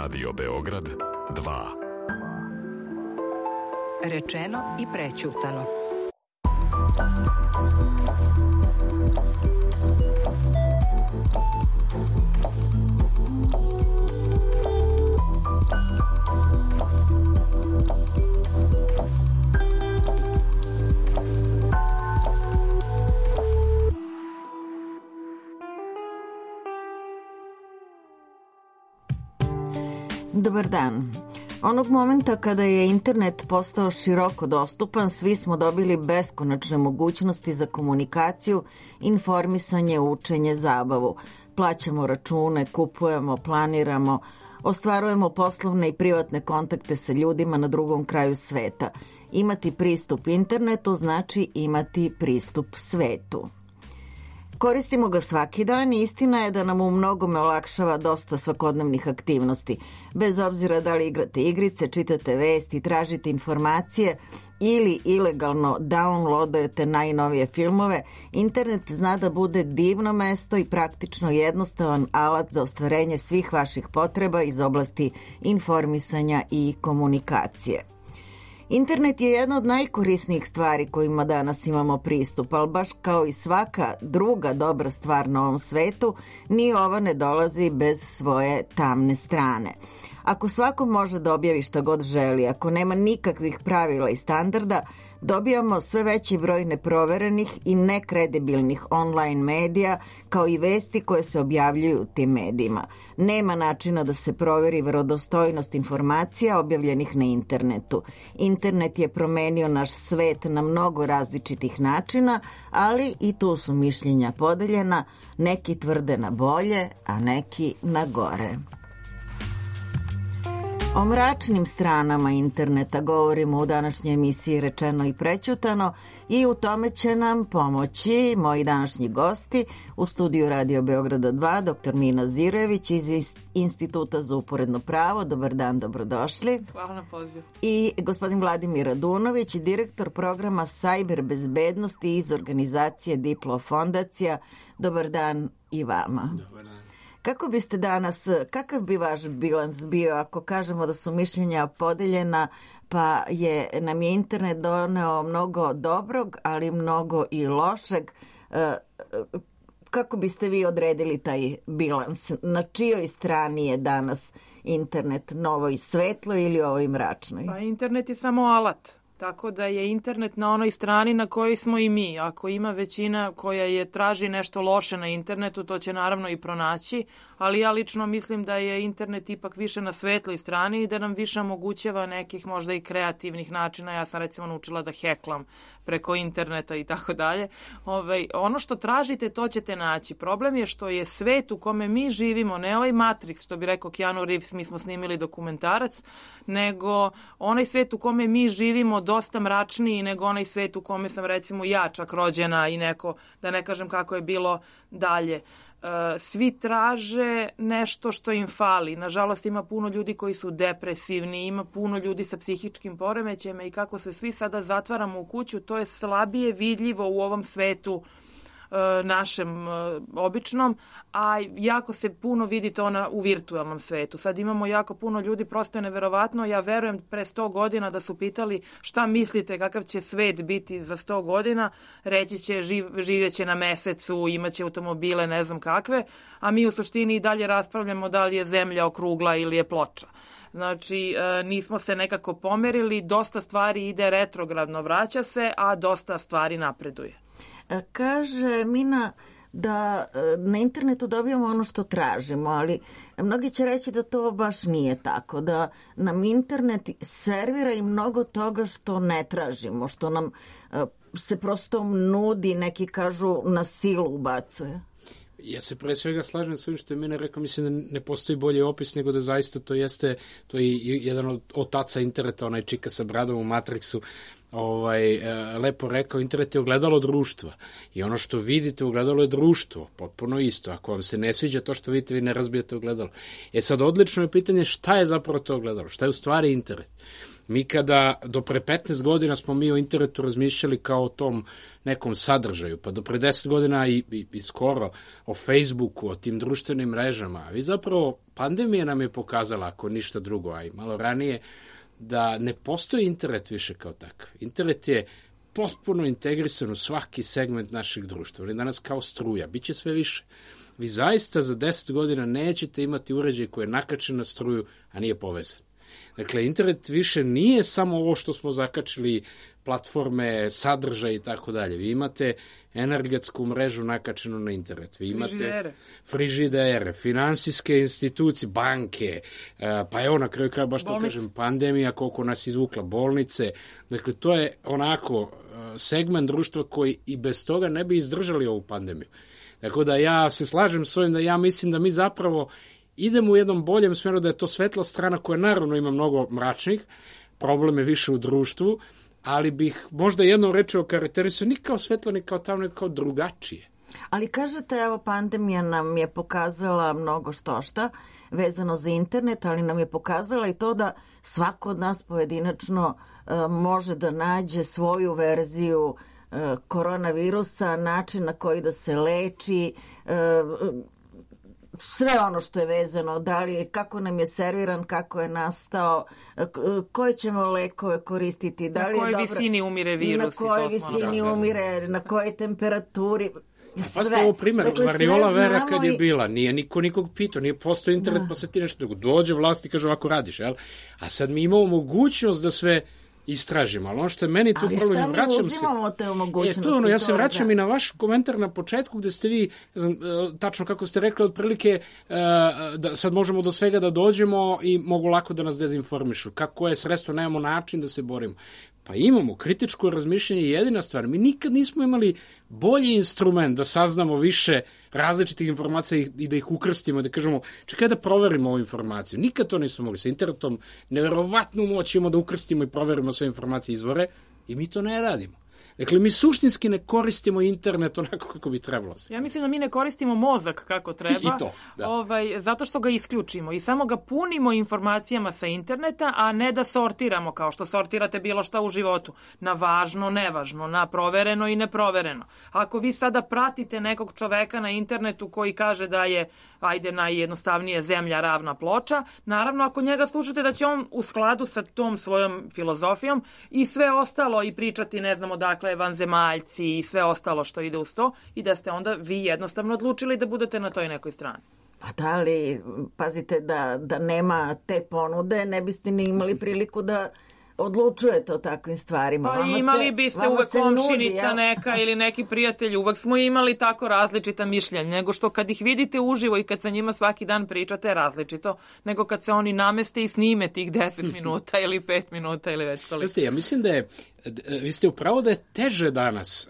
Radio Beograd 2. Rečeno i prećutano. Dobar dan. Onog momenta kada je internet postao široko dostupan, svi smo dobili beskonačne mogućnosti za komunikaciju, informisanje, učenje, zabavu. Plaćamo račune, kupujemo, planiramo, ostvarujemo poslovne i privatne kontakte sa ljudima na drugom kraju sveta. Imati pristup internetu znači imati pristup svetu. Koristimo ga svaki dan i istina je da nam u mnogome olakšava dosta svakodnevnih aktivnosti. Bez obzira da li igrate igrice, čitate vesti, tražite informacije ili ilegalno downloadujete najnovije filmove, internet zna da bude divno mesto i praktično jednostavan alat za ostvarenje svih vaših potreba iz oblasti informisanja i komunikacije. Internet je jedna od najkorisnijih stvari kojima danas imamo pristup, ali baš kao i svaka druga dobra stvar na ovom svetu, ni ova ne dolazi bez svoje tamne strane. Ako svako može da objavi šta god želi, ako nema nikakvih pravila i standarda, dobijamo sve veći broj neproverenih i nekredibilnih online medija, kao i vesti koje se objavljuju u tim medijima. Nema načina da se proveri verodostojnost informacija objavljenih na internetu. Internet je promenio naš svet na mnogo različitih načina, ali i tu su mišljenja podeljena, neki tvrde na bolje, a neki na gore. O mračnim stranama interneta govorimo u današnjoj emisiji Rečeno i prećutano i u tome će nam pomoći moji današnji gosti u studiju Radio Beograda 2, dr. Mina Zirojević iz Instituta za uporedno pravo. Dobar dan, dobrodošli. Hvala na pozivu. I gospodin Vladimir Radunović, direktor programa Sajber bezbednosti iz organizacije Diplo fondacija. Dobar dan i vama. Dobar dan. Kako biste danas, kakav bi vaš bilans bio ako kažemo da su mišljenja podeljena, pa nam je internet doneo mnogo dobrog, ali mnogo i lošeg? Kako biste vi odredili taj bilans? Na čijoj strani je danas internet, novoj svetloj ili ovoj mračnoj? Pa internet je samo alat. Tako da je internet na onoj strani na kojoj smo i mi. Ako ima većina koja traži nešto loše na internetu, to će naravno i pronaći, ali ja lično mislim da je internet ipak više na svetloj strani i da nam više omogućava nekih možda i kreativnih načina. Ja sam recimo naučila da heklam preko interneta i tako dalje. Ono što tražite, to ćete naći. Problem je što je svet u kome mi živimo, ne ovaj Matrix, što bi rekao Keanu Reeves, mi smo snimili dokumentarac, nego onaj svet u kome mi živimo dosta mračniji nego onaj svet u kome sam recimo ja čak rođena i neko, da ne kažem kako je bilo dalje. Svi traže nešto što im fali. Nažalost, ima puno ljudi koji su depresivni, ima puno ljudi sa psihičkim poremećajima i kako se svi sada zatvaramo u kuću, to je slabije vidljivo u ovom svetu našem običnom, a jako se puno vidi to u virtualnom svetu. Sad imamo jako puno ljudi, prosto je neverovatno. Ja verujem pre 100 godina da su pitali šta mislite kakav će svet biti za 100 godina, reći će živjeće na mesecu, imaće automobile, ne znam kakve, a mi u suštini i dalje raspravljamo da li je zemlja okrugla ili je ploča. Znači, nismo se nekako pomerili, dosta stvari ide retrogradno, vraća se, a dosta stvari napreduje. Kaže Mina da na internetu dobijamo ono što tražimo, ali mnogi će reći da to baš nije tako, da nam internet servira i mnogo toga što ne tražimo, što nam se prosto nudi, neki kažu na silu ubacuje. Ja se pre svega slažem s ovim što je Mina rekao, mislim da ne postoji bolji opis nego da zaista to je jedan od otaca interneta, onaj čika sa bradom u Matrixu, lepo rekao, internet je ogledalo društva i ono što vidite ogledalo je društvo, potpuno isto. Ako vam se ne sviđa to što vidite, vi ne razbijete ogledalo. Sad odlično je pitanje šta je zapravo to ogledalo, šta je u stvari internet. Mi kada do pre 15 godina smo mi o internetu razmišljali kao o tom nekom sadržaju, pa do pre 10 godina i skoro o Facebooku, o tim društvenim mrežama. I zapravo pandemija nam je pokazala, ako ništa drugo, a i malo ranije, da ne postoji internet više kao takav. Internet je potpuno integrisan u svaki segment našeg društva. On je danas kao struja, bit će sve više. Vi zaista za 10 godina nećete imati uređaj koji je nakačen na struju, a nije povezan. Dakle, internet više nije samo ovo što smo zakačili, platforme, sadržaj i tako dalje. Vi imate energetsku mrežu nakačenu na internet. Vi imate frižidere, finansijske institucije, banke, pa evo na kraju kraja, baš to kažem, pandemija, koliko nas izvukla, bolnice. Dakle, to je onako segment društva koji i bez toga ne bi izdržali ovu pandemiju. Tako da ja se slažem s ovim da ja mislim da mi zapravo idemo u jednom boljem smjeru, da je to svetla strana koja naravno ima mnogo mračnih, problem je više u društvu, ali bih možda jednom rečeo karakterisao ni kao svetlo, ni kao tamno, ni kao drugačije. Ali kažete, evo, pandemija nam je pokazala mnogo štošta vezano za internet, ali nam je pokazala i to da svako od nas pojedinačno može da nađe svoju verziju koronavirusa, način na koji da se leči, sve ono što je vezano, da li, kako nam je serviran, kako je nastao, koje ćemo lekove koristiti, da li je dobro, visini umire virus, na kojoj visini umire, na kojoj temperaturi. Pa ste ovo primjer, dakle, variola vera kad je bila, nije niko nikog pitao, nije postoji internet, pa se ti nešto dođe vlast i kaže ovako radiš, jel? A sad mi imamo mogućnost da sve istražimo, ali ono što je meni tu problem, vraćam se. Ali šta mi uzimamo te mogućnosti? Ja se vraćam i na vaš komentar na početku gde ste vi, ne znam, tačno kako ste rekli, otprilike da sad možemo do svega da dođemo i mogu lako da nas dezinformišu. Kako je sredstvo, nemamo način da se borimo. Pa imamo, kritičko razmišljanje je jedina stvar. Mi nikad nismo imali bolji instrument da saznamo više različitih informacija i da ih ukrstimo, da kažemo, čekaj da proverimo ovu informaciju. Nikad to nismo mogli. Sa internetom neverovatnu moć imamo da ukrstimo i proverimo sve informacije izvore i mi to ne radimo. Dakle, mi suštinski ne koristimo internet onako kako bi trebalo. Ja mislim da mi ne koristimo mozak kako treba. I to, da. Zato što ga isključimo i samo ga punimo informacijama sa interneta, a ne da sortiramo kao što sortirate bilo šta u životu. Na važno, nevažno, na provereno i neprovereno. Ako vi sada pratite nekog čoveka na internetu koji kaže da je, ajde, najjednostavnije zemlja ravna ploča, naravno ako njega slušate da će on u skladu sa tom svojom filozofijom i sve ostalo i pričati, ne znamo dakle, vanzemaljci i sve ostalo što ide uz to i da ste onda vi jednostavno odlučili da budete na toj nekoj strani. Pa da li, pazite, da nema te ponude, ne biste ni imali priliku da odlučujete o takvim stvarima. Pa imali biste uvek komšinica neka ili neki prijatelj, uvek smo imali tako različita mišljenja, nego što kad ih vidite uživo i kad sa njima svaki dan pričate je različito, nego kad se oni nameste i snime tih 10 minuta ili 5 minuta ili već koliko. Ja mislim da je, vi ste upravo da je teže danas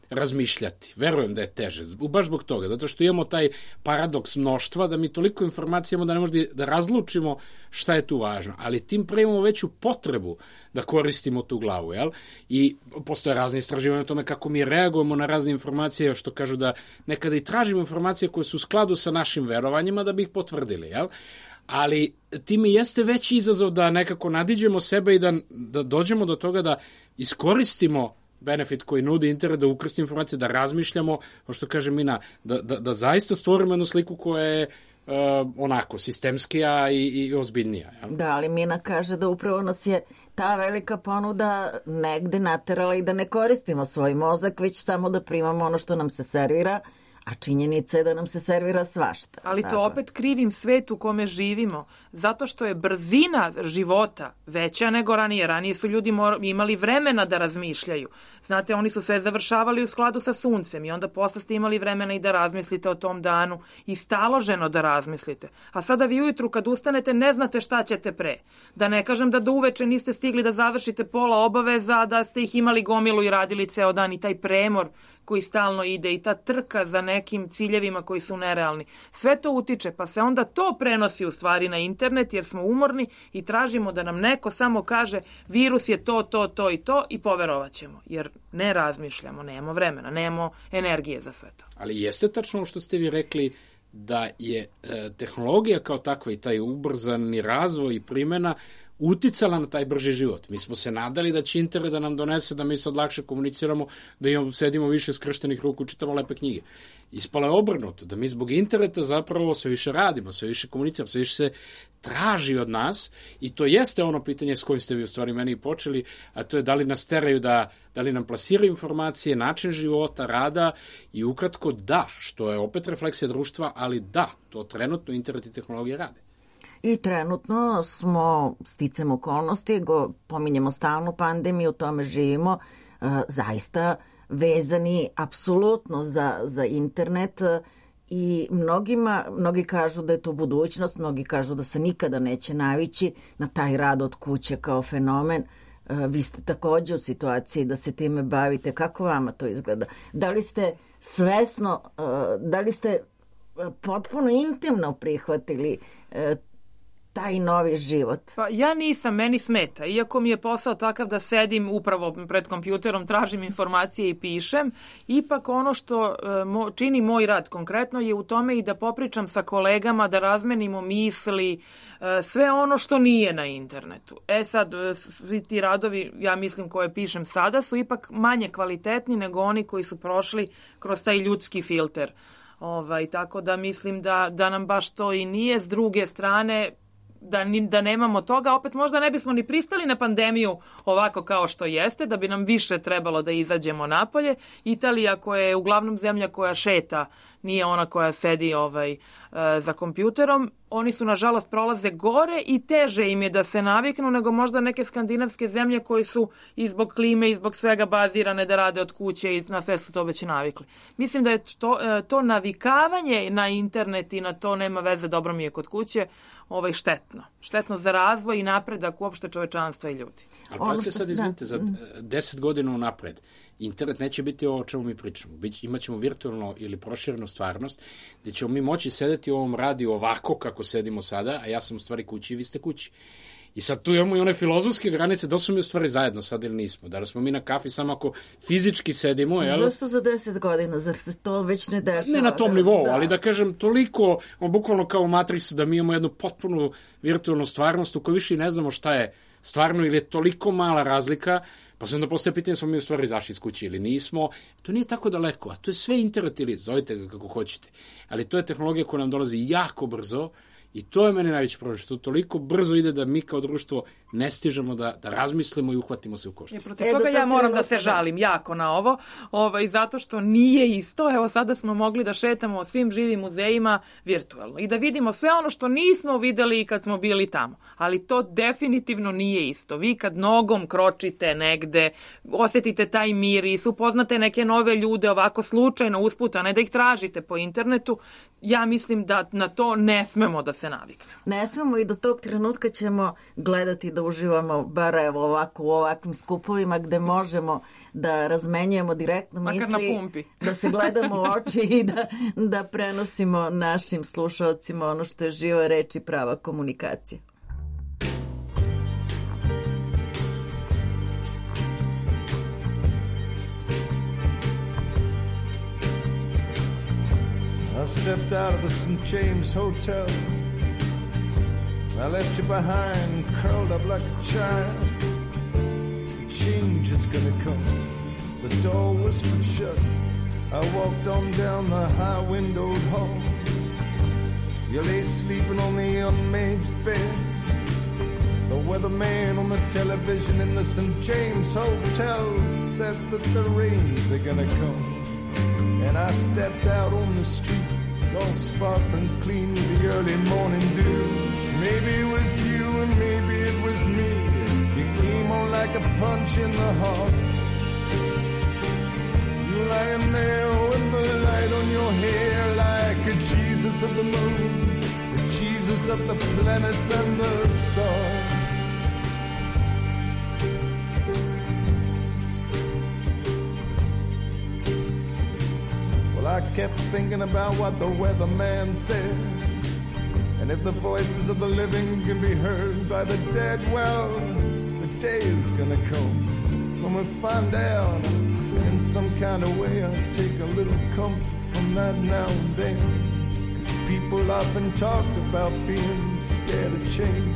razmišljati. Verujem da je teže, baš zbog toga, zato što imamo taj paradoks mnoštva, da mi toliko informacija imamo da ne možemo da razlučimo šta je tu važno, ali tim pre imamo veću potrebu da koristimo tu glavu, jel? I postoje razne istraživanja o tome kako mi reagujemo na razne informacije, što kažu da nekada i tražimo informacije koje su u skladu sa našim verovanjima da bi ih potvrdili, jel? Ali tim i jeste veći izazov da nekako nadiđemo sebe i da dođemo do toga da iskoristimo benefit koji nudi internet, da ukrstimo informacije, da razmišljamo, kao što kaže Mina, da zaista stvorimo jednu sliku koja je onako sistemskija i ozbiljnija. Ja? Da, ali Mina kaže da upravo nas je ta velika ponuda negde naterala i da ne koristimo svoj mozak, već samo da primamo ono što nam se servira, a činjenica je da nam se servira svašta. Ali to opet krivim svet u kome živimo, zato što je brzina života veća nego ranije. Ranije su ljudi imali vremena da razmišljaju. Znate, oni su sve završavali u skladu sa suncem i onda posle ste imali vremena i da razmislite o tom danu i staloženo da razmislite. A sada vi ujutru kad ustanete ne znate šta ćete pre. Da ne kažem da do uveče niste stigli da završite pola obaveza, da ste ih imali gomilu i radili ceo dan i taj premor koji stalno ide i ta trka za nekim ciljevima koji su nerealni. Sve to utiče, pa se onda to prenosi u stvari na internet jer smo umorni i tražimo da nam neko samo kaže virus je to i to i poverovat ćemo. Jer ne razmišljamo, nemamo vremena, nemamo energije za sve to. Ali jeste tačno što ste vi rekli da je tehnologija kao takva i taj ubrzani razvoj i primjena uticala na taj brži život. Mi smo se nadali da će internet da nam donese da mi sad lakše komuniciramo, da sedimo više skrštenih ruku, čitamo lepe knjige. Ispalo je obrnuto, da mi zbog interneta zapravo sve više radimo, sve više komuniciramo, sve više se traži od nas i to jeste ono pitanje s kojim ste vi u stvari meni počeli, a to je da li nas teraju da li nam plasiraju informacije, način života, rada i ukratko da, što je opet refleksija društva, ali da, to trenutno internet i tehnologija rade. I trenutno smo, sticam okolnosti, pominjemo stalnu pandemiju, tome živimo, zaista vezani apsolutno za internet i mnogi kažu da je to budućnost, mnogi kažu da se nikada neće navići na taj rad od kuće kao fenomen. Vi ste takođe u situaciji da se time bavite. Kako vama to izgleda? Da li ste svesno, da li ste potpuno intimno prihvatili taj novi život? Pa ja nisam, meni smeta. Iako mi je posao takav da sedim upravo pred kompjuterom, tražim informacije i pišem, ipak ono što čini moj rad konkretno je u tome i da popričam sa kolegama, da razmenimo misli, sve ono što nije na internetu. Sad, svi ti radovi, ja mislim, koje pišem sada, su ipak manje kvalitetni nego oni koji su prošli kroz taj ljudski filter. Tako da mislim da nam baš to i nije. S druge strane, da nemamo toga, opet možda ne bismo ni pristali na pandemiju ovako kao što jeste, da bi nam više trebalo da izađemo napolje. Italija, koja je uglavnom zemlja koja šeta, nije ona koja sedi za kompjuterom, oni su nažalost prolaze gore i teže im je da se naviknu nego možda neke skandinavske zemlje koji su i zbog klime i zbog svega bazirane da rade od kuće i na sve su to već navikli. Mislim da je to navikavanje na internet i na to nema veze, dobro mi je kod kuće, štetno. Štetno za razvoj i napredak uopšte čovečanstva i ljudi. Ali pazite sad, izvinite, za 10 godina unapred internet neće biti ovo o čemu mi pričamo. Imaćemo virtualno ili proširenu stvarnost gde ćemo mi moći sedeti u ovom radiju ovako kako sedimo sada, a ja sam u stvari kući i vi ste kući. I sad tu imamo i one filozofske granice, da smo mi u stvari zajedno sad ili nismo. Da smo mi na kafi samo ako fizički sedimo. Zašto za 10 godina? Zar se to već ne dešava? Ne na tom nivou, ali da kažem toliko, bukvalno kao u Matrixu, da mi imamo jednu potpunu virtualnu stvarnost u kojoj više i ne znamo šta je stvarno ili je toliko mala razlika, pa se onda postaje pitanje smo mi u stvari izašli iz kuće ili nismo. To nije tako daleko, a to je sve internet ili zovite ga kako hoćete. Ali to je tehnologija koja nam dolazi jako brzo i to je meni najveći problem, što toliko brzo ide da mi kao društvo ne stižemo da razmislimo i uhvatimo se u koštac. Protiv toga ja moram da se žalim jako na ovo, zato što nije isto. Evo sada smo mogli da šetamo svim živim muzejima virtualno i da vidimo sve ono što nismo videli kad smo bili tamo. Ali to definitivno nije isto. Vi kad nogom kročite negde, osetite taj miris, upoznate neke nove ljude ovako slučajno usput, a ne da ih tražite po internetu, ja mislim da na to ne smemo da se naviknemo. Ne smemo i do tog trenutka ćemo gledati da uživamo bar evo ovako u ovakvim skupovima gde možemo da razmenjujemo direktno misli, da se gledamo u oči i da prenosimo našim slušalcima ono što je živa reč i prava komunikacija. I stepped out of the St. James Hotel. I left you behind, curled up like a child. Change is gonna come. The door whispered shut. I walked on down the high-windowed hall. You lay sleeping on the unmade bed. The weatherman on the television in the St. James Hotel said that the rains are gonna come. And I stepped out on the streets, all sparkling clean with the early morning dew. Maybe it was you and maybe it was me. You came on like a punch in the heart. You lying there with the light on your hair like a Jesus of the moon, a Jesus of the planets and the stars. I kept thinking about what the weatherman said. And if the voices of the living can be heard by the dead, well, the day is gonna come when we find out in some kind of way. I'll take a little comfort from that now and then. 'Cause people often talk about being scared of change.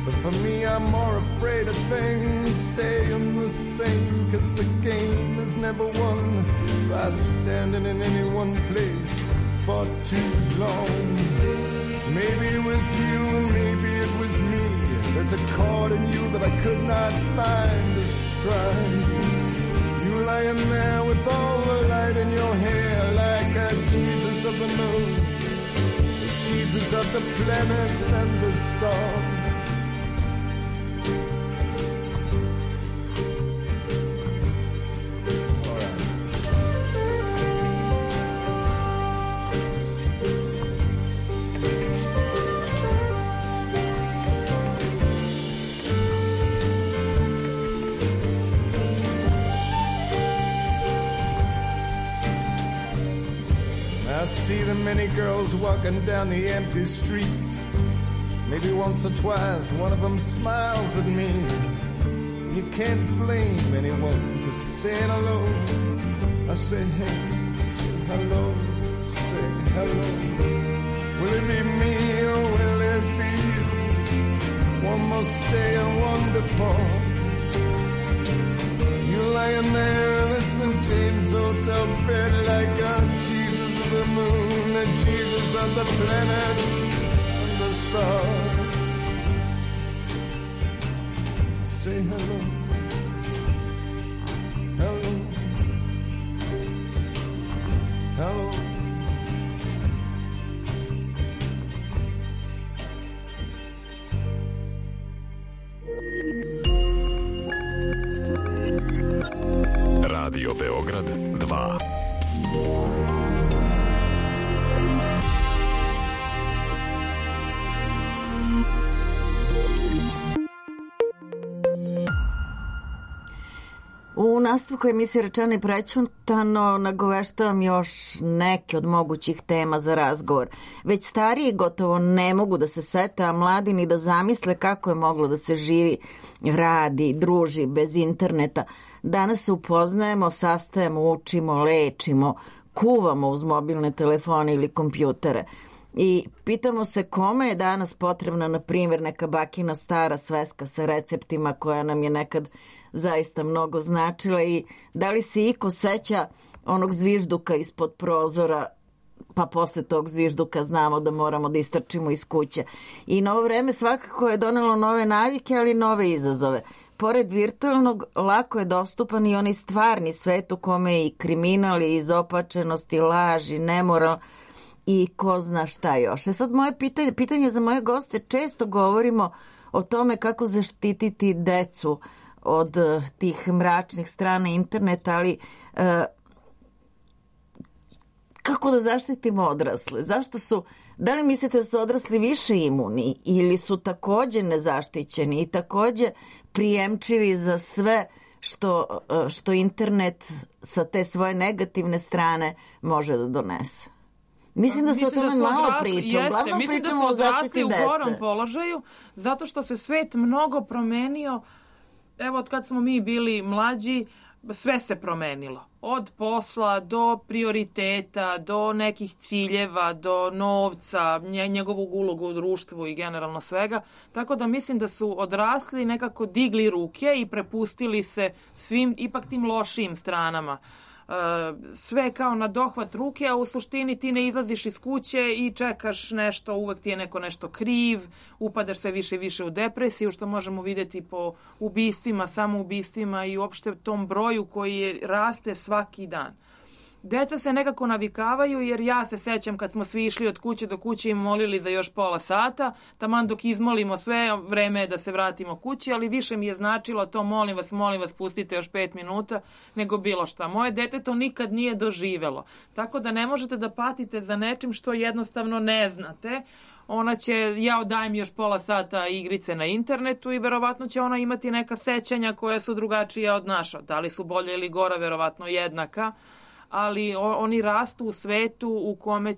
But for me, I'm more afraid of things staying the same, 'cause the game is never won by standing in any one place for too long. Maybe it was you and maybe it was me. There's a chord in you that I could not find to strike. You lying there with all the light in your hair, like a Jesus of the moon, the Jesus of the planets and the stars. I see the many girls walking down the empty streets. Maybe once or twice one of them smiles at me. You can't blame anyone for saying hello. I say hey, say hello, say hello. Will it be me or will it be you? One must stay and one depart. You lying there in the St. James Hotel bed like a the moon, the Jesus of the planets and the stars. Say hello, hello, hello. Radio Beograd 2. U nastavku emisije Rečeno i prećutano nagoveštavam još neke od mogućih tema za razgovor. Već stariji gotovo ne mogu da se sete, a mladi ni da zamisle kako je moglo da se živi, radi, druži bez interneta. Danas se upoznajemo, sastajemo, učimo, lečimo, kuvamo uz mobilne telefone ili kompjutere. I pitamo se kome je danas potrebna, na primjer, neka bakina stara sveska sa receptima koja nam je nekad zaista mnogo značila, i da li se iko seća onog zvižduka ispod prozora, pa posle tog zvižduka znamo da moramo da istrčimo iz kuće. I novo vreme svakako je donelo nove navike, ali nove izazove. Pored virtualnog, lako je dostupan i onaj stvarni svet u kome je i kriminal, i izopačenost, i laž, i nemoral, i ko zna šta još. Sad moje pitanje za moje goste, često govorimo o tome kako zaštititi decu od tih mračnih strana interneta, ali kako da zaštitimo odrasle? Da li mislite da su odrasli više imuni ili su takođe nezaštićeni i takođe prijemčivi za sve što internet sa te svoje negativne strane može da donese? Mislim da se o tome malo priča. Uglavnom pričamo o zaštiti dece. U gorom položaju, zato što se svet mnogo promenio. Evo, od kad smo mi bili mlađi, sve se promenilo. Od posla do prioriteta, do nekih ciljeva, do novca, njegovog ulogu u društvu i generalno svega. Tako da mislim da su odrasli nekako digli ruke i prepustili se svim ipak tim lošijim stranama. Sve kao na dohvat ruke, a u suštini ti ne izlaziš iz kuće i čekaš nešto, uvek ti je neko nešto kriv, upadaš sve više i više u depresiju, što možemo vidjeti po ubistvima, samoubistvima i uopšte tom broju koji raste svaki dan. Deca se nekako navikavaju, jer ja se sećam kad smo svi išli od kuće do kuće i molili za još pola sata, taman dok izmolimo sve, vreme je da se vratimo kući, ali više mi je značilo to molim vas, pustite još 5 minuta, nego bilo šta. Moje dete to nikad nije doživelo, tako da ne možete da patite za nečim što jednostavno ne znate. Ona će, ja dajem još pola sata igrice na internetu i verovatno će ona imati neka sećanja koja su drugačija od naša. Da li su bolje ili gora, verovatno jednaka, ali oni rastu u svetu u kome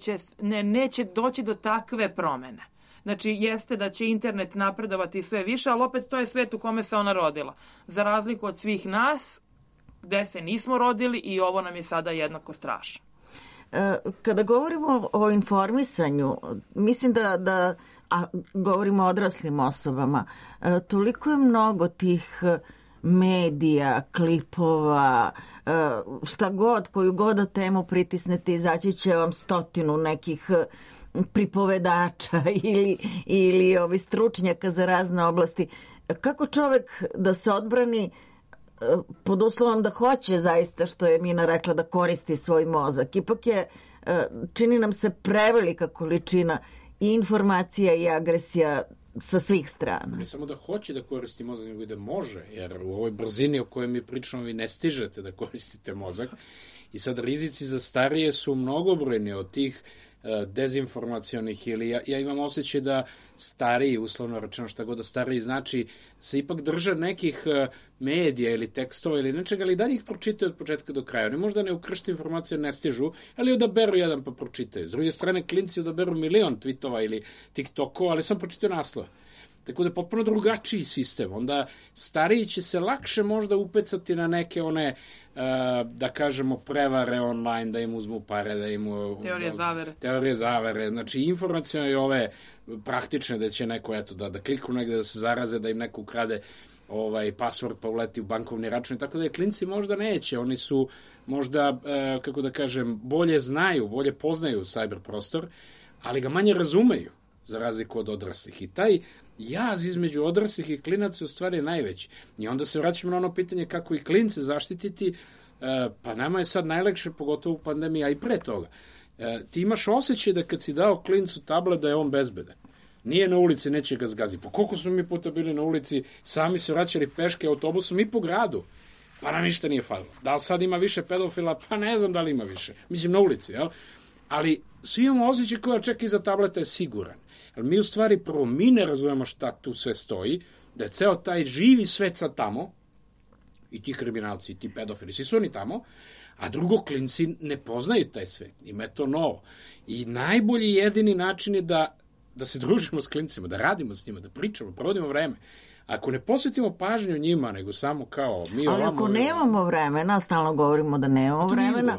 neće doći do takve promene. Znači, jeste da će internet napredovati sve više, ali opet to je svet u kome se ona rodila. Za razliku od svih nas, gde se nismo rodili, i ovo nam je sada jednako strašno. Kada govorimo o informisanju, mislim da a govorimo o odraslim osobama, toliko je mnogo tih medija, klipova, šta god, koju god da temu pritisnete, izaći će vam 100 nekih pripovedača ili stručnjaka za razne oblasti. Kako čovek da se odbrani pod uslovom da hoće zaista, što je Mina rekla, da koristi svoj mozak? Ipak je, čini nam se, prevelika količina i informacija i agresija sa svih strana. Ne samo da hoće da koristi mozak, nego i da može, jer u ovoj brzini o kojoj mi pričamo vi ne stižete da koristite mozak. I sad rizici za starije su mnogobrojni od tih dezinformacionih, ili ja imam osjećaj da stariji, uslovno rečeno šta god da stariji znači, se ipak drže nekih medija ili tekstova ili nečega, ali da ih pročitaju od početka do kraja. Oni možda ne ukršti informacije, ne stižu, ali odaberu jedan pa pročitaju. S druge strane, klinci odaberu milion tweetova ili TikTokova, ali sam pročitao naslov. Tako da je potpuno drugačiji sistem. Onda stariji će se lakše možda upecati na neke one, da kažemo, prevare online, da im uzmu pare, da im... Teorije zavere. Znači, informacijone i ove praktične, da će neko, eto, da kliknu negde, da se zaraze, da im neko ukrade password pa uleti u bankovni račun. Tako da je klinci možda neće. Oni su možda, kako da kažem, bolje znaju, bolje poznaju cyber prostor, ali ga manje razumeju, za razliku od odraslih. I taj jaz između odraslih i klinaca je u stvari najveći. I onda se vraćamo na ono pitanje kako i klince zaštititi, pa nama je sad najlakše, pogotovo u pandemiji, a i pre toga. Ti imaš osjećaj da kad si dao klincu tablet da je on bezbedan. Nije na ulici, neće ga zgazi. Pa koliko smo mi puta bili na ulici, sami se vraćali peške autobusom i po gradu, pa nam ništa nije falilo. Da li sad ima više pedofila? Pa ne znam da li ima više. Mislim, na ulici, jel? Ali svi imamo osjećaj koja čeka iza tableta je siguran. Ali mi u stvari prvo mi ne razumemo šta tu sve stoji, da je ceo taj živi svet sad tamo, i ti kriminalci, i ti pedofili, svi su oni tamo, a drugo, klinci ne poznaju taj svet, ima je to novo. I najbolji jedini način je da se družimo s klincima, da radimo s njima, da pričamo, provodimo vreme. Ako ne posvetimo pažnju njima, nego samo kao mi ovamo... Ali ako nemamo vremena, stalno govorimo da nemamo vremena,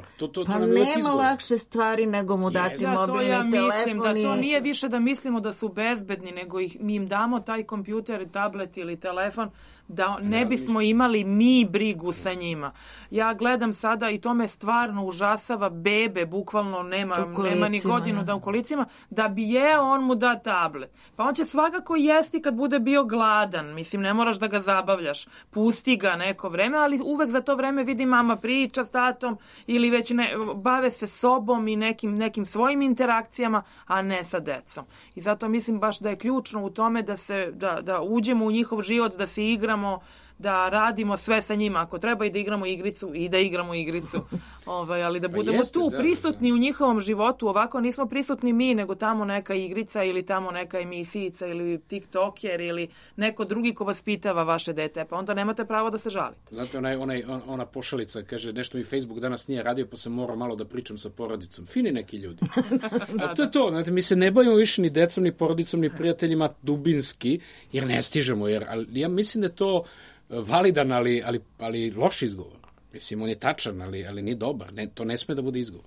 pa nema lakše stvari nego mu dati mobilni telefon. Mislim da to nije više da mislimo da su bezbedni, nego mi im damo taj kompjuter, tablet ili telefon, da ne bismo imali mi brigu sa njima. Ja gledam sada i to me stvarno užasava, bebe, bukvalno nema ni godinu da u kolicima, da bi on mu da tablet. Pa on će svakako jesti kad bude bio gladan. Mislim, ne moraš da ga zabavljaš. Pusti ga neko vreme, ali uvek za to vreme vidi mama priča s tatom ili već bave se sobom i nekim svojim interakcijama, a ne sa decom. I zato mislim baš da je ključno u tome da uđemo u njihov život, da se igramo, da radimo sve sa njima. Ako treba i da igramo igricu, i da igramo igricu. Ali da budemo prisutni u njihovom životu. Ovako nismo prisutni mi, nego tamo neka igrica ili tamo neka emisijica ili TikToker ili neko drugi ko vas pitava vaše dete. Pa onda nemate pravo da se žalite. Znate, ona pošalica kaže, nešto mi Facebook danas nije radio, pa sam morao malo da pričam sa porodicom. Fini neki ljudi. A to je to. Znate, mi se ne bavimo više ni decom, ni porodicom, ni prijateljima dubinski, jer ne stižemo. Ali ja mislim da je to validan, ali loš izgovor. Mislim, on je tačan, ali nije dobar. To ne sme da bude izgovor.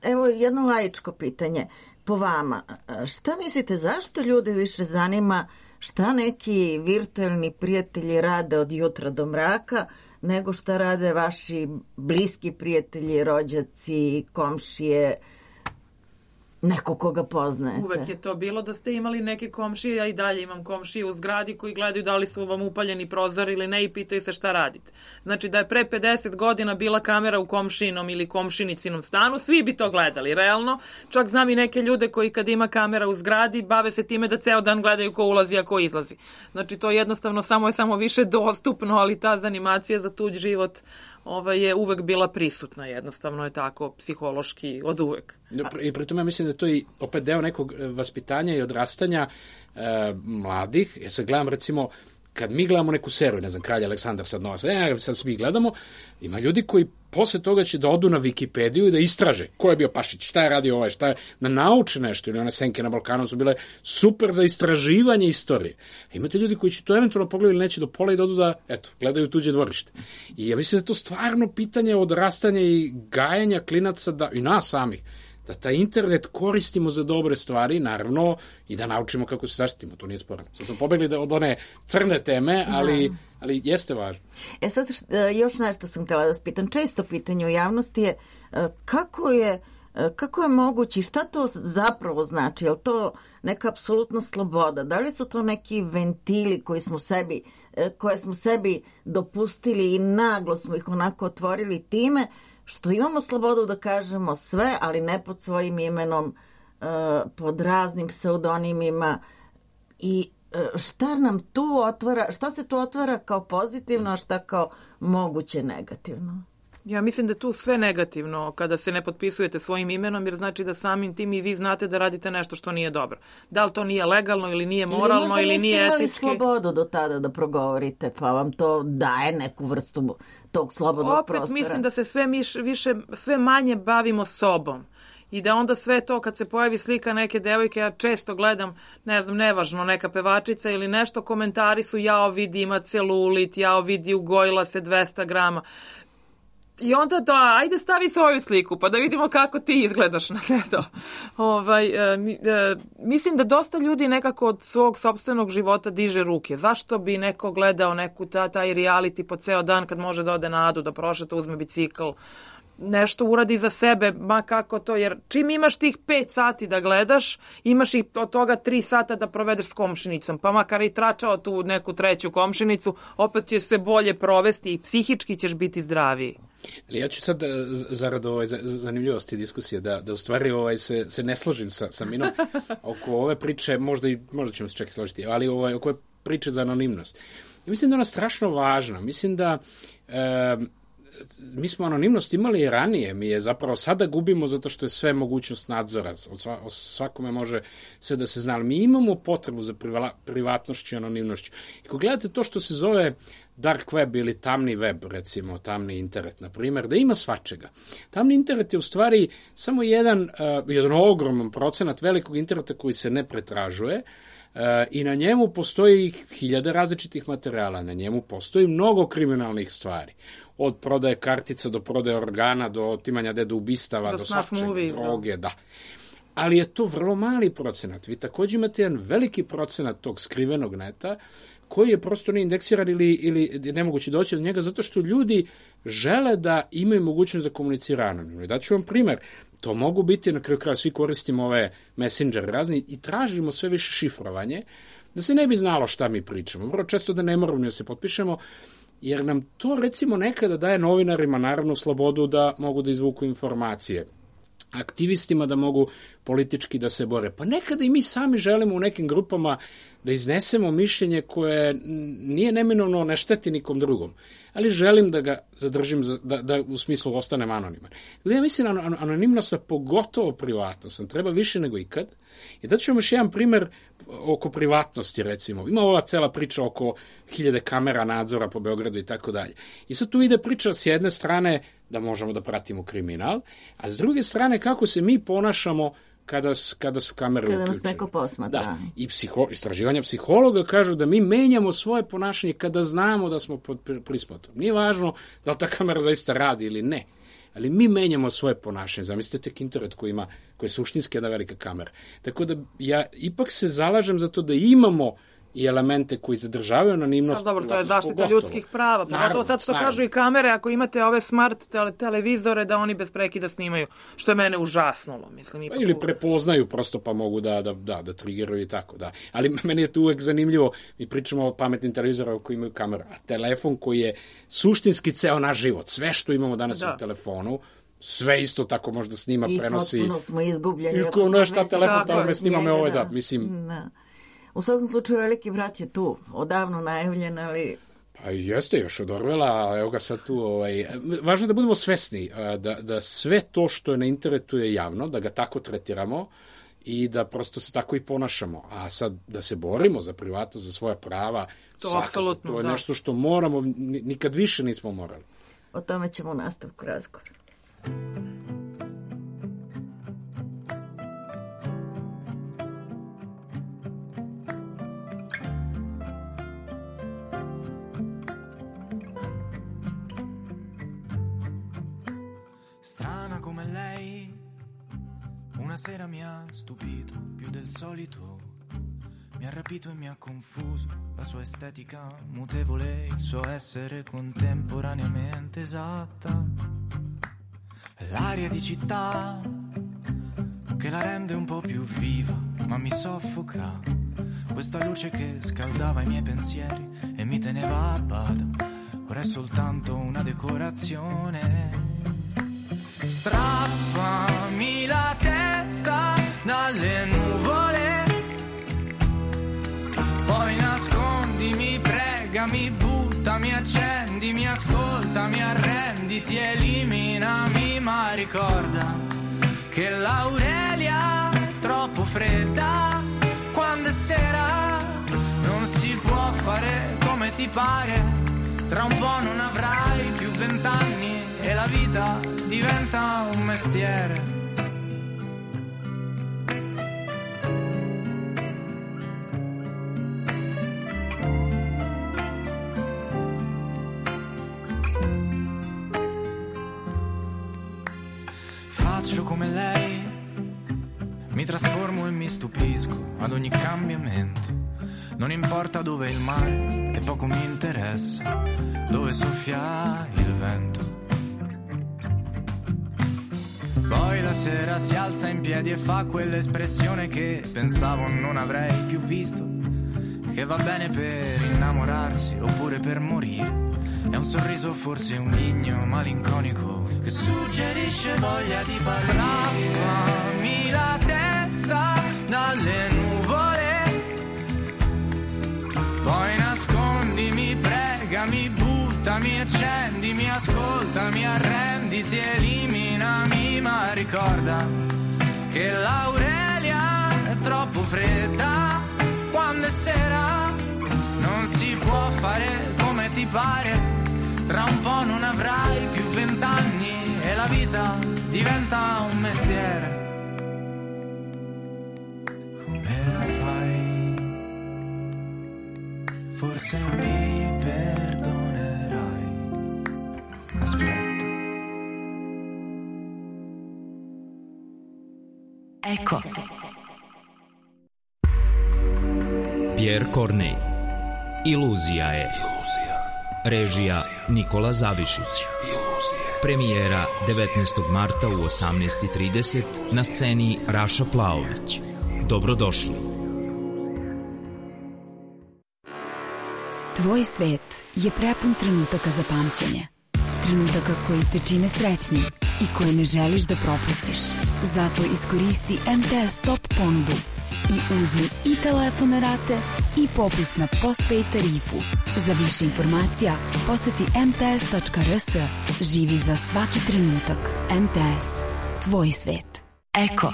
Evo jedno laičko pitanje. Po vama, šta mislite, zašto ljude više zanima šta neki virtualni prijatelji rade od jutra do mraka, nego šta rade vaši bliski prijatelji, rođaci, komšije, neko koga poznajete? Uvek je to bilo da ste imali neke komšije, ja i dalje imam komšije u zgradi koji gledaju da li su vam upaljeni prozor ili ne i pitaju se šta radite. Znači da je pre 50 godina bila kamera u komšinom ili komšinicinom stanu, svi bi to gledali, realno. Čak znam i neke ljude koji kad ima kamera u zgradi bave se time da ceo dan gledaju ko ulazi, a ko izlazi. Znači to jednostavno samo više dostupno, ali ta zanimacija za tuđ život je uvek bila prisutna, jednostavno je tako psihološki od uvek. I pri tome mislim da to je opet deo nekog vaspitanja i odrastanja mladih. Ja sad gledam recimo, kad mi gledamo neku seriju, ne znam, Kralj Aleksandar sad nova, sad svi gledamo, ima ljudi koji posle toga će da odu na Wikipediju i da istraže ko je bio Pašić, šta je radio ovaj, šta je, da nauče nešto, ili one Senke na Balkanu su bile super za istraživanje istorije. A imate ljudi koji će to eventualno pogledati ili neće do pola i da odu da, eto, gledaju tuđe dvorište. I ja mislim da je to stvarno pitanje odrastanja i gajanja klinaca da, i nas samih, da taj internet koristimo za dobre stvari, naravno, i da naučimo kako se zaštitimo, to nije sporno. Sad smo pobegli od one crne teme, ali jeste važno. Sad, još nešto sam htjela da spitam. Često pitanje u javnosti je kako je moguće i šta to zapravo znači? Je li to neka apsolutna sloboda? Da li su to neki ventili koje smo sebi dopustili i naglo smo ih onako otvorili time što imamo slobodu da kažemo sve, ali ne pod svojim imenom, pod raznim pseudonimima i šta nam tu otvara, šta se tu otvara kao pozitivno, a šta kao moguće negativno? Ja mislim da je tu sve negativno kada se ne potpisujete svojim imenom, jer znači da samim tim i vi znate da radite nešto što nije dobro. Da li to nije legalno ili nije moralno ili nije etički. Ili možda niste imali slobodu do tada da progovorite, pa vam to daje neku vrstu tog slobodnog prostora. Opet mislim da se sve manje bavimo sobom. I da onda sve to kad se pojavi slika neke devojke, ja često gledam, ne znam, nevažno, neka pevačica ili nešto, komentari su jao vidi ima celulit, jao vidi ugojila se 200 grama. I onda ajde stavi svoju sliku pa da vidimo kako ti izgledaš na sve to. Mislim da dosta ljudi nekako od svog sopstvenog života diže ruke. Zašto bi neko gledao taj reality po ceo dan kad može da ode na Adu, da prošeta, uzme bicikl, nešto uradi za sebe, ma kako to, jer čim imaš tih 5 sati da gledaš, imaš i od toga 3 sata da provedeš s komšinicom, pa makar i tračao tu neku treću komšinicu, opet ćeš se bolje provesti i psihički ćeš biti zdraviji. Ali ja ću sad, zarad zanimljivosti diskusije, da u stvari se ne složim sa Minom oko ove priče, možda ćemo se čak i složiti, ali oko ove priče za anonimnost. Ja mislim da je ona strašno važna. Mislim da mi smo anonimnost imali i ranije, mi je zapravo sada gubimo zato što je sve mogućnost nadzora, svakome može sve da se zna, ali mi imamo potrebu za privatnošću i anonimnošću. I ako gledate to što se zove dark web ili tamni web, recimo tamni internet, na primjer, da ima svačega. Tamni internet je u stvari samo jedan ogroman procenat velikog interneta koji se ne pretražuje, i na njemu postoji 1000 različitih materijala, na njemu postoji mnogo kriminalnih stvari. Od prodaje kartica do prodaje organa, do otimanja ubistava, do svačega, droge, da. Ali je to vrlo mali procenat. Vi također imate jedan veliki procenat tog skrivenog neta koji je prosto neindeksiran ili je nemoguće doći do njega zato što ljudi žele da imaju mogućnost da komuniciraju anonimno. Daću vam primer. To mogu biti, na kraju kraja svi koristimo ove messenger razni i tražimo sve više šifrovanje, da se ne bi znalo šta mi pričamo. Vrlo često da ne moramo da se potpišemo, jer nam to recimo nekada daje novinarima naravno slobodu da mogu da izvuku informacije, aktivistima da mogu politički da se bore. Pa nekada i mi sami želimo u nekim grupama da iznesemo mišljenje koje nije neminovno ne šteti nikom drugom, ali želim da ga zadržim, da u smislu ostanem anoniman. Ja mislim anonimnost, pogotovo privatnost, treba više nego ikad. I da ću vam još jedan primer oko privatnosti, recimo. Ima ova cela priča oko 1000 kamera nadzora po Beogradu i tako dalje. I sad tu ide priča s jedne strane da možemo da pratimo kriminal, a s druge strane kako se mi ponašamo kada su kamere uključene. Kada nas neko posmatra. Da. I istraživanja psihologa kažu da mi menjamo svoje ponašanje kada znamo da smo pod prismotrom. Nije važno da li ta kamera zaista radi ili ne, ali mi menjamo svoje ponašanje. Zamislite tek internet koji je suštinski jedna velika kamera. Tako da ja ipak se zalažem za to da imamo i elemente koji zadržavaju anonimnost. Dobro, to je zaštita ljudskih prava. Pogotovo sad što kažu i kamere, ako imate ove smart televizore, da oni bez prekida snimaju, što je mene užasnulo. Mislim, ili prepoznaju prosto pa mogu da triggeruju i tako. Da. Ali meni je to uvek zanimljivo, mi pričamo o pametnim televizorima koji imaju kameru, a telefon koji je suštinski ceo naš život, sve što imamo danas u telefonu, sve isto tako možda snima, prenosi. I potpuno smo izgubljeni. I šta telefon tamo me snima me mislim. Da. U svakom slučaju veliki brat je tu, odavno najavljen, ali... Pa jeste još od Orwella, evo ga sad tu. Važno je da budemo svesni da sve to što je na internetu je javno, da ga tako tretiramo i da prosto se tako i ponašamo. A sad da se borimo za privatnost, za svoja prava, to je nešto što moramo, nikad više nismo morali. O tome ćemo u nastavku razgovora. Strana come lei, una sera mi ha stupito più del solito, mi ha rapito e mi ha confuso, la sua estetica mutevole, il suo essere contemporaneamente esatta, l'aria di città che la rende un po' più viva, ma mi soffoca, questa luce che scaldava i miei pensieri e mi teneva a bada, ora è soltanto una decorazione. Strappami la testa dalle nuvole, poi nascondimi, pregami, buttami, accendimi, ascoltami, arrenditi, eliminami, ma ricorda che l'Aurelia è troppo fredda, quando è sera non si può fare come ti pare, tra un po' non avrai più 20 anni e la vita diventa un mestiere. Faccio come lei, mi trasformo e mi stupisco ad ogni cambiamento. Non importa dove è il mare e poco mi interessa dove soffia il vento. Poi la sera si alza in piedi e fa quell'espressione che pensavo non avrei più visto, che va bene per innamorarsi oppure per morire. È un sorriso, forse un ghigno malinconico che suggerisce voglia di partire. Strappami la testa dalle nuvole, poi nascondimi, pregami, buttami, accendimi, ascoltami, arrenditi, eliminami, ma ricorda che l'Aurelia è troppo fredda, quando è sera non si può fare come ti pare, tra un po' non avrai più 20 anni e la vita diventa un mestiere. Come fai? Forse mi perdonerai. Aspetta. Eko. Pierre Corneille. Iluzija je. Režija Nikola Zavišić. Premijera 19. marta u 18:30 na sceni Raša Plaović. Dobrodošli. Tvoj svet je prepun trenutaka za pamćenje. Trenutaka koji te čine srećnim i koje ne želiš da propustiš. Zato iskoristi MTS Top ponudu i uzmi i telefon rate i popust na postpaid tarifu. Za više informacija poseti mts.rs. Živi za svaki trenutak. MTS. Tvoj svet. Eko.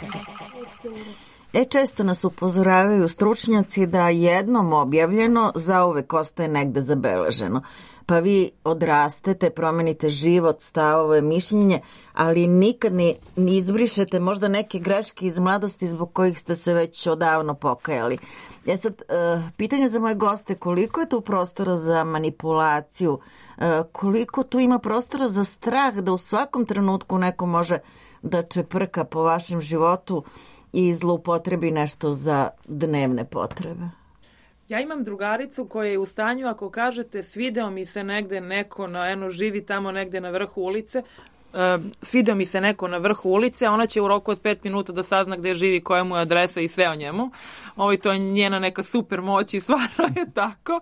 Često nas upozoravaju stručnjaci da jednom objavljeno zauvek ostaje negde zabeleženo. Pa vi odrastete, promenite život, stavove, mišljenje, ali nikad ni izbrišete možda neke greške iz mladosti zbog kojih ste se već odavno pokajali. Sad, pitanje za moje goste, koliko je tu prostora za manipulaciju, koliko tu ima prostora za strah da u svakom trenutku neko može da čeprka po vašem životu i zloupotrebi nešto za dnevne potrebe? Ja imam drugaricu koja je u stanju, ako kažete svideo mi se negde neko, živi tamo negde na vrhu ulice, svideo mi se neko na vrhu ulice, ona će u roku od 5 minuta da sazna gde živi, koja mu je adresa i sve o njemu. To je njena neka super moć i stvarno je tako.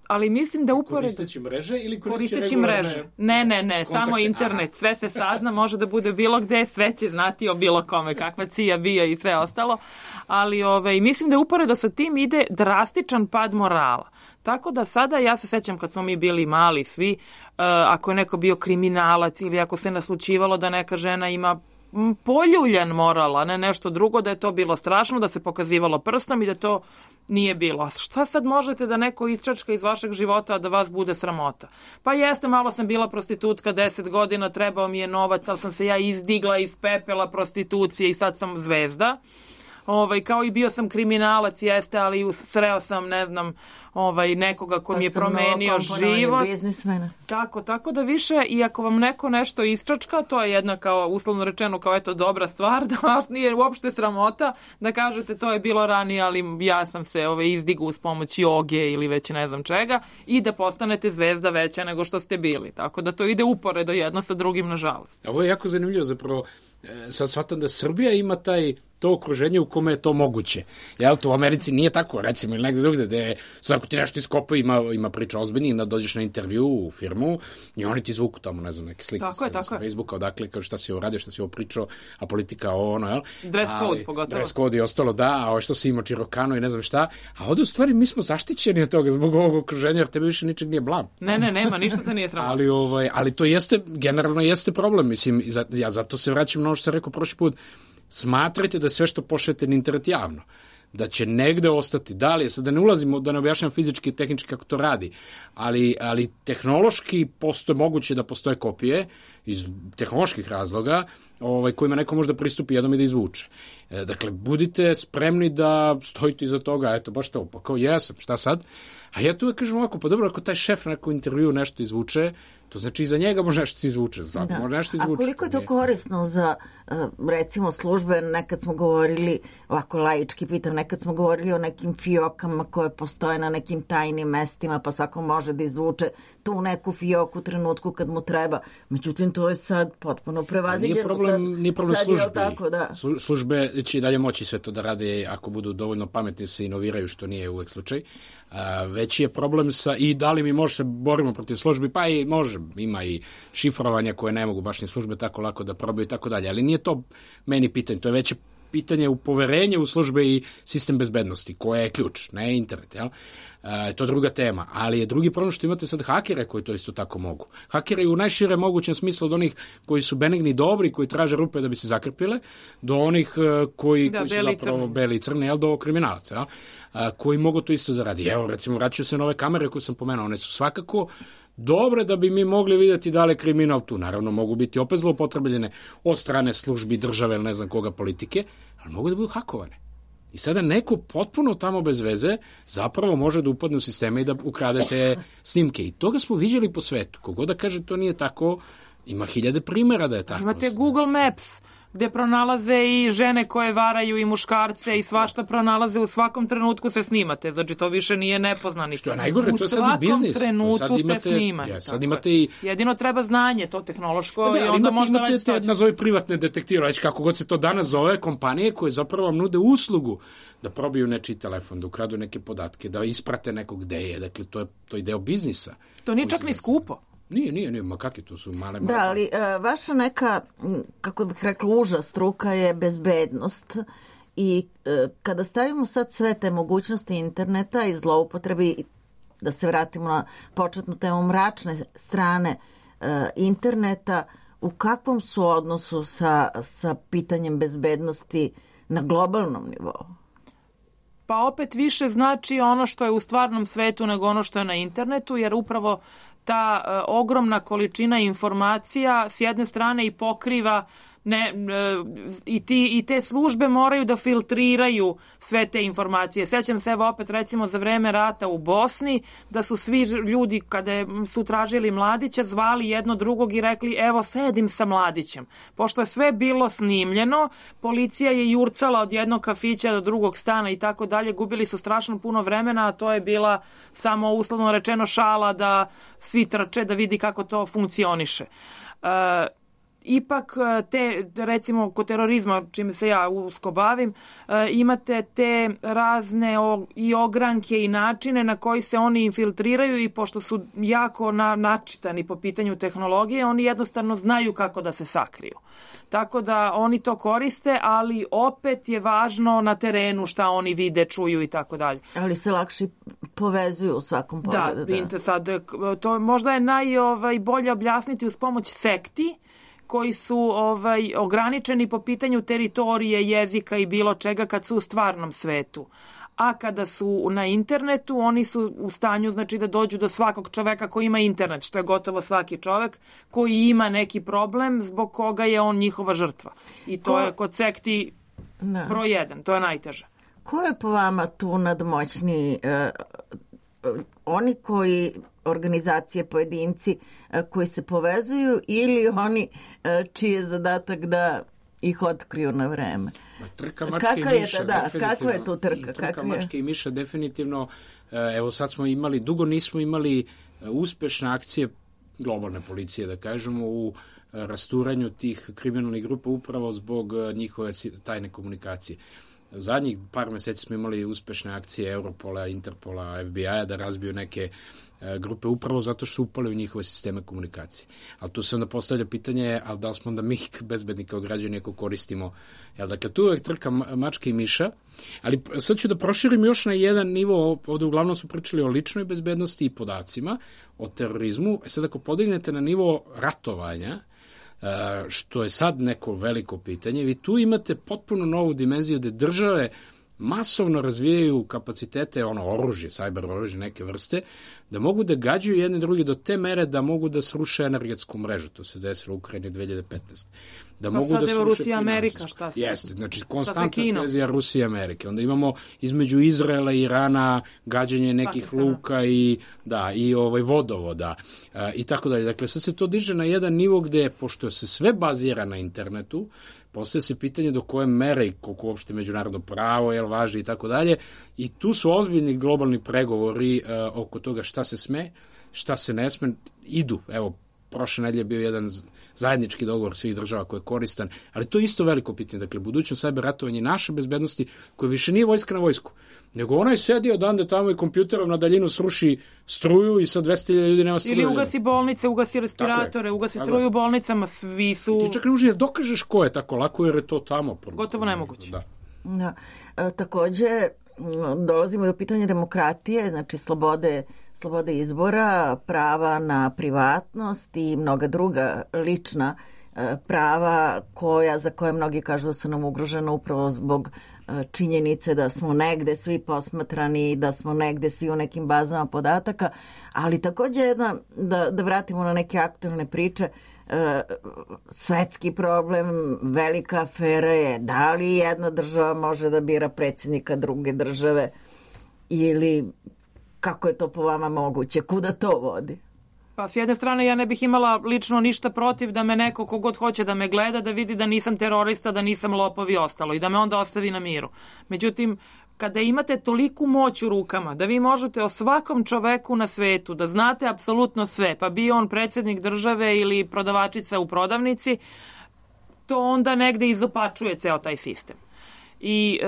Ali mislim da Koristeći mreže ili koristeći mreže? Ne, samo internet. Sve se sazna, može da bude bilo gde, sve će znati o bilo kome, kakva cija bio i sve ostalo. Ali mislim da uporedo sa tim ide drastičan pad morala. Tako da sada, ja se sećam kad smo mi bili mali svi, ako je neko bio kriminalac ili ako se naslučivalo da neka žena ima poljuljan moral, a ne nešto drugo, da je to bilo strašno, da se pokazivalo prstom i da to nije bilo. Šta sad možete da neko isčačka iz vašeg života, a da vas bude sramota? Pa jeste, malo sam bila prostitutka 10 godina, trebao mi je novac, ali sam se ja izdigla iz pepela prostitucije i sad sam zvezda. Kao i bio sam kriminalac, jeste, ali sreo sam, ne znam, nekoga ko mi je promenio život. Tako da više, i ako vam neko nešto isčačka, to je jedna, kao uslovno rečeno, kao eto dobra stvar, da vas nije uopšte sramota, da kažete to je bilo ranije, ali ja sam se izdigao uz pomoć joge ili već ne znam čega, i da postanete zvezda veća nego što ste bili. Tako da to ide uporedo jedno sa drugim, nažalost. Ovo je jako zanimljivo, zapravo, sad shvatam da Srbija ima to okruženje u kome je to moguće. Jel, to u Americi nije tako, recimo, ili negde drugde, gde svako ti nešto iskopa, ima priča ozbiljnije, da dođeš na intervju u firmu i oni ti zvuku tamo, ne znam, neke slike sa Facebooka, odakle, kao šta si uradio, šta si ovo pričao, a politika ono, jel? Dress code, pogotovo. Dress code i ostalo, da, a ovo što si imao Čirokano i ne znam šta, a ovde u stvari mi smo zaštićeni od toga zbog ovog okruženja, jer tebe više ničeg nije blam. Ne, nema, ništa te nije sramota. Ali to jeste, generalno jeste problem, mislim, ja zato se vraćam na ono što sam rekao prošli put. Smatrajte da sve što pošaljete na internet javno, da će negde ostati, da li je, sad da ne ulazimo, da ne objašnjam fizički i tehnički kako to radi, ali tehnološki moguće da postoje kopije iz tehnoloških razloga kojima neko može da pristupi jednom i da izvuče. Dakle, budite spremni da stojite iza toga, eto, baš to, pa kao jesam, šta sad? A ja tu uvek kažem ovako, pa dobro, ako taj šef na nekom intervju nešto izvuče, to znači iza njega može nešto se izvuče. Može nešto izvuče. A koliko je to korisno za, recimo, službe? Nekad smo govorili, ovako laički pitam, nekad smo govorili o nekim fiokama koje postoje na nekim tajnim mestima, pa svako može da izvuče tu neku fioku u trenutku kad mu treba. Međutim, to je sad potpuno prevaziđeno. Nije problem službe. Službe će i dalje moći sve to da rade ako budu dovoljno pametni, se inoviraju, što nije uvek slučaj. Veći je problem i da li mi može se borimo protiv službi, pa i može, ima i šifrovanja koje ne mogu baš ni službe tako lako da probaju i tako dalje, ali nije to meni pitanje, to je veće pitanje u poverenje u službe i sistem bezbednosti, koja je ključ, ne internet, jel? To je druga tema, ali je drugi problem što imate sad hakere koji to isto tako mogu. Hakeri u najšire mogućem smislu od onih koji su benigni dobri, koji traže rupe da bi se zakrpile, do onih koji su zapravo beli i crni, jel, do kriminalaca, jel? Koji mogu to isto da radi. Evo, recimo, vraćaju se na ove kamere koje sam pomenuo, one su svakako dobre da bi mi mogli vidjeti da li je kriminal tu. Naravno, mogu biti opet zloupotrebljene od strane službi, države ili ne znam koga, politike, ali mogu da budu hakovane. I sada neko potpuno tamo bez veze zapravo može da upadne u sisteme i da ukrade te snimke. I toga smo viđali po svetu. Kogod da kaže to nije tako, ima hiljade primjera da je tako. Imate Google Maps, gde pronalaze i žene koje varaju i muškarce i svašta pronalaze, u svakom trenutku se snimate. Znači, to više nije nepoznanica. Što je najgore, to je sad i biznis. U svakom trenutku ste snimani. Sad imate i... Jedino treba znanje, to tehnološko, da, i onda možda raditi to. Nazovi privatne detektive, već kako god se to danas zove, kompanije koje zapravo vam nude uslugu da probiju nečiji telefon, da ukradu neke podatke, da isprate nekog gde je. Dakle, to je deo biznisa. To nije čak ni skupo. Nije, ma kakve to su male... Da, ali vaša neka, kako bih rekla, uža struka je bezbednost i kada stavimo sad sve te mogućnosti interneta i zloupotrebi, da se vratimo na početnu temu mračne strane interneta, u kakvom su odnosu sa pitanjem bezbednosti na globalnom nivou? Pa opet više znači ono što je u stvarnom svetu nego ono što je na internetu, jer upravo ta ogromna količina informacija s jedne strane i pokriva i te službe moraju da filtriraju sve te informacije. Sećam se, evo opet recimo za vreme rata u Bosni, da su svi ljudi kada su tražili Mladića zvali jedno drugog i rekli evo sedim sa Mladićem. Pošto je sve bilo snimljeno, policija je jurcala od jednog kafića do drugog stana i tako dalje, gubili su strašno puno vremena, a to je bila samo uslovno rečeno šala da svi trče da vidi kako to funkcioniše. Ipak recimo kod terorizma, čime se ja usko bavim, imate te razne i ogranke i načine na koji se oni infiltriraju i pošto su jako načitani po pitanju tehnologije, oni jednostavno znaju kako da se sakriju. Tako da oni to koriste, ali opet je važno na terenu šta oni vide, čuju i tako dalje. Ali se lakše povezuju u svakom pogledu. Da, sad, to možda je najbolje objasniti uz pomoć sekti, koji su ograničeni po pitanju teritorije, jezika i bilo čega kad su u stvarnom svetu. a kada su na internetu, oni su u stanju, znači, da dođu do svakog čoveka koji ima internet, što je gotovo svaki čovek koji ima neki problem zbog koga je on njihova žrtva. I to je kod sekti broj 1, to je najteže. Ko je po vama tu nadmoćniji? Oni koji, organizacije, pojedinci koji se povezuju ili oni čiji je zadatak da ih otkriju na vreme? Trka mačke i miša. Kakva je tu trka? Trka mačke i miša definitivno. Evo sad smo imali, dugo nismo imali uspešne akcije globalne policije, da kažemo, u rasturanju tih kriminalnih grupa upravo zbog njihove tajne komunikacije. Zadnjih par meseci smo imali uspešne akcije Europola, Interpola, FBI-a da razbiju neke grupe upravo zato što su upali u njihove sisteme komunikacije. Ali tu se onda postavlja pitanje, ali da li smo onda mi bezbedni kao građani ako koristimo, jel, dakle tu uvek trka mačke i miša, ali sad ću da proširim još na jedan nivo, ovde uglavnom su pričali o ličnoj bezbednosti i podacima, o terorizmu. Sad ako podignete na nivo ratovanja, što je sad neko veliko pitanje, vi tu imate potpuno novu dimenziju gde države masovno razvijaju kapacitete, oružje, cyber oružje neke vrste, da mogu da gađaju jedne druge do te mere da mogu da sruše energetsku mrežu. To se desilo u Ukrajini 2015. Da mogu da sruše Rusija, Amerika, šta se? Jeste, znači konstantna tenzija Rusije i Amerike. Onda imamo između Izraela i Irana gađanje nekih Pakistana, luka i vodovoda i tako dalje. Dakle, sad se to diže na jedan nivo gde, pošto se sve bazira na internetu, postaje se pitanje do koje mere i koliko uopšte međunarodno pravo jel važi i tako dalje. I tu su ozbiljni globalni pregovori oko toga šta se sme, šta se ne sme, idu. Evo, prošle nedelje je bio jedan zajednički dogovor svih država koji je koristan, ali to je isto veliko pitanje. Dakle, budućnost cyber ratovanja naše bezbednosti, koje više nije vojska na vojsku, nego onaj sedi odande tamo i kompjuterom na daljinu sruši struju i sad 200.000 ljudi nema struje. Ili ugasi bolnice, ugasi respiratore, ugasi struju u bolnicama, svi su... I ti čak ne možeš da dokažeš ko je tako lako, jer je to tamo. Gotovo nemoguće. Da. Takođe, dolazimo do pitanja demokratije, znači slobode izbora, prava na privatnost i mnoga druga lična prava za koje mnogi kažu da su nam ugrožena upravo zbog činjenice da smo negde svi posmatrani, da smo negde svi u nekim bazama podataka, ali takođe da vratimo na neke aktualne priče, svetski problem, velika afera je da li jedna država može da bira predsjednika druge države ili kako je to po vama moguće, kuda to vodi? Pa s jedne strane ja ne bih imala lično ništa protiv da me neko kogod hoće da me gleda, da vidi da nisam terorista, da nisam lopov i ostalo i da me onda ostavi na miru. Međutim, kada imate toliku moć u rukama da vi možete o svakom čoveku na svetu da znate apsolutno sve, pa bio on predsjednik države ili prodavačica u prodavnici, to onda negde izopačuje ceo taj sistem. I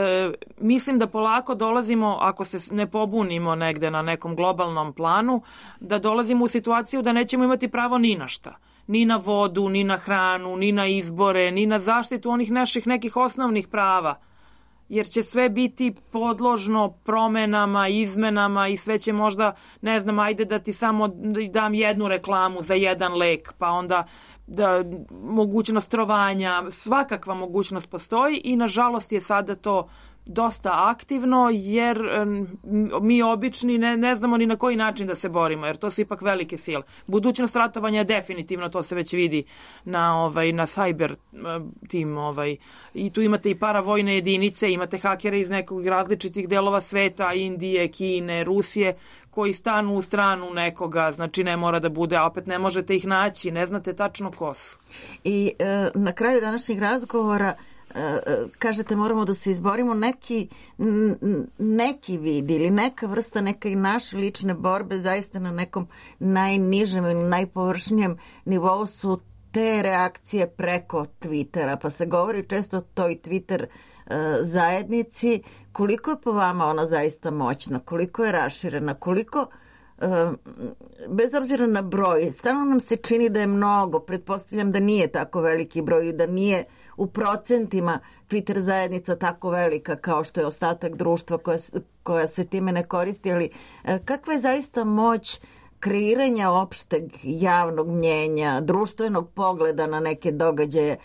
mislim da polako dolazimo, ako se ne pobunimo negde na nekom globalnom planu, da dolazimo u situaciju da nećemo imati pravo ni na šta. Ni na vodu, ni na hranu, ni na izbore, ni na zaštitu onih naših nekih osnovnih prava. Jer će sve biti podložno promenama, izmenama i sve će možda, ne znam, ajde da ti samo dam jednu reklamu za jedan lek, pa onda mogućnost trovanja, svakakva mogućnost postoji i nažalost je sada to dosta aktivno jer mi obični ne znamo ni na koji način da se borimo jer to su ipak velike sile. Budućnost ratovanja je definitivno, to se već vidi na cyber tim i tu imate i paravojne jedinice, imate hakere iz nekog različitih delova sveta, Indije, Kine, Rusije, koji stanu u stranu nekoga, znači ne mora da bude, a opet ne možete ih naći, ne znate tačno ko su. I na kraju današnjeg razgovora kažete moramo da se izborimo neki vid ili neka vrsta neke naše lične borbe zaista na nekom najnižem ili najpovršnijem nivou su te reakcije preko Twittera, pa se govori često o toj Twitter zajednici. Koliko je po vama ona zaista moćna, koliko je raširena, koliko bez obzira na broj, stalno nam se čini da je mnogo, pretpostavljam da nije tako veliki broj, da nije u procentima Twitter zajednica tako velika kao što je ostatak društva koja se time ne koristi, ali kakva je zaista moć kreiranja opšteg javnog mnjenja, društvenog pogleda na neke događaje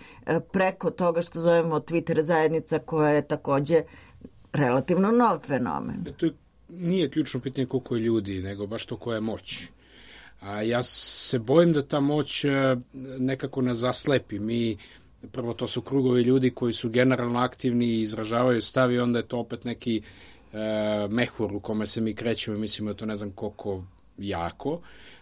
preko toga što zovemo Twitter zajednica koja je takođe relativno nov fenomen. To nije ključno pitanje koliko je ljudi, nego baš to koja je moć. A ja se bojim da ta moć nekako nas zaslepi. Prvo, to su krugovi ljudi koji su generalno aktivni i izražavaju stav i onda je to opet neki mehur u kome se mi krećemo i mislimo da to ne znam koliko jako,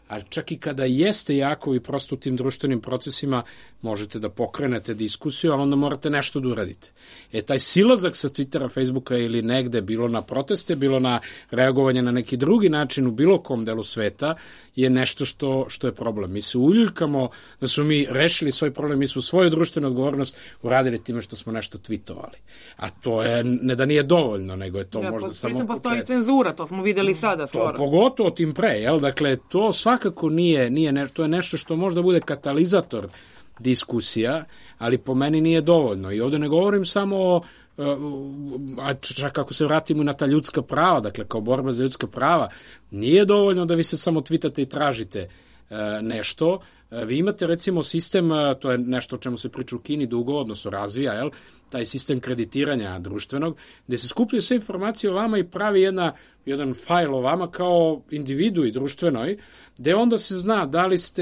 a čak i kada jeste jako, vi prosto u tim društvenim procesima možete da pokrenete diskusiju, ali onda morate nešto da uradite. Taj silazak sa Twittera, Facebooka ili negde, bilo na proteste, bilo na reagovanje na neki drugi način u bilo kom delu sveta, je nešto što je problem. Mi se uljuljkamo da smo mi rešili svoj problem, mi smo svoju društvenu odgovornost uradili time što smo nešto tweetovali. A to je, ne da nije dovoljno, nego je to možda samo početak. Postoji cenzura, to smo videli sada skoro. To pogotovo tim pre, jel? Dakle, to svakako nije to je nešto što možda bude katalizator diskusija, ali po meni nije dovoljno. I ovde ne govorim samo a čak ako se vratimo na ta ljudska prava, dakle kao borba za ljudska prava, nije dovoljno da vi se samo twitate i tražite nešto. Vi imate recimo sistem, to je nešto o čemu se priča u Kini dugo, odnosno razvija, jel? Taj sistem kreditiranja društvenog, gde se skupljaju sve informacije o vama i pravi jedan fajl o vama kao individui društvenoj, gde onda se zna